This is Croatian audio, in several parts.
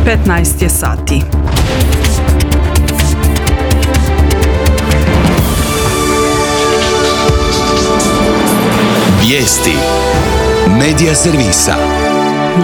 15 je sati. Vijesti Medija servisa.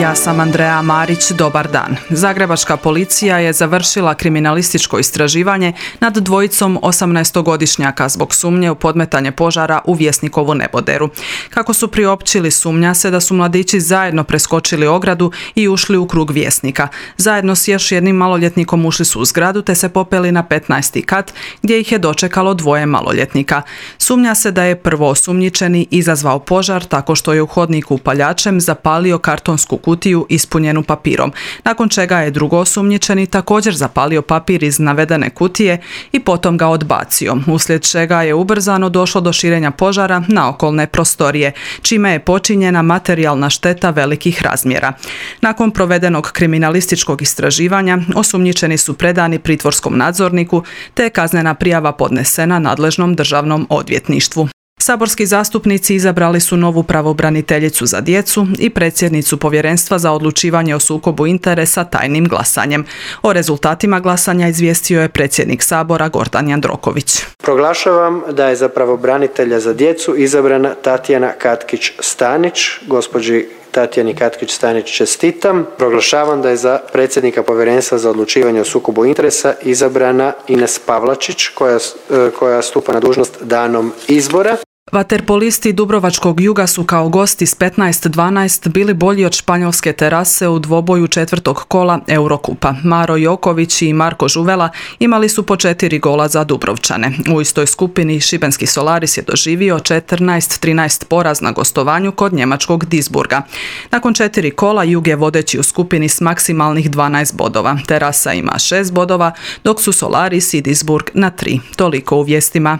Ja sam Andreja Marić, dobar dan. Zagrebačka policija je završila kriminalističko istraživanje nad dvojicom 18-godišnjaka zbog sumnje u podmetanje požara u Vjesnikovu neboderu. Kako su priopćili, sumnja se da su mladići zajedno preskočili ogradu i ušli u krug Vjesnika. Zajedno s još jednim maloljetnikom ušli su u zgradu te se popeli na 15. kat gdje ih je dočekalo dvoje maloljetnika. Sumnja se da je prvoosumnjičeni izazvao požar tako što je u hodniku upaljačem zapalio kartonsku kutiju ispunjenu papirom, nakon čega je drugoosumnjičeni također zapalio papir iz navedene kutije i potom ga odbacio, uslijed čega je ubrzano došlo do širenja požara na okolne prostorije, čime je počinjena materijalna šteta velikih razmjera. Nakon provedenog kriminalističkog istraživanja, osumnjičeni su predani pritvorskom nadzorniku, te je kaznena prijava podnesena nadležnom državnom odvjetništvu. Saborski zastupnici izabrali su novu pravobraniteljicu za djecu i predsjednicu Povjerenstva za odlučivanje o sukobu interesa tajnim glasanjem. O rezultatima glasanja izvijestio je predsjednik Sabora Gordan Jandroković. Proglašavam da je za pravobranitelja za djecu izabrana Tatjana Katkić-Stanić. Gospođi Tatjani Katkić-Stanić čestitam. Proglašavam da je za predsjednika Povjerenstva za odlučivanje o sukobu interesa izabrana Ines Pavlačić koja stupa na dužnost danom izbora. Vaterpolisti Dubrovačkog Juga su kao gosti s 15-12 bili bolji od španjolske terase u dvoboju četvrtog kola Eurokupa. Maro Joković i Marko Žuvela imali su po 4 gola za Dubrovčane. U istoj skupini šibenski Solaris je doživio 14-13 poraz na gostovanju kod njemačkog Duisburga. Nakon 4 kola Jug je vodeći u skupini s maksimalnih 12 bodova. Terasa ima 6 bodova, dok su Solaris i Duisburg na 3. Toliko u vijestima.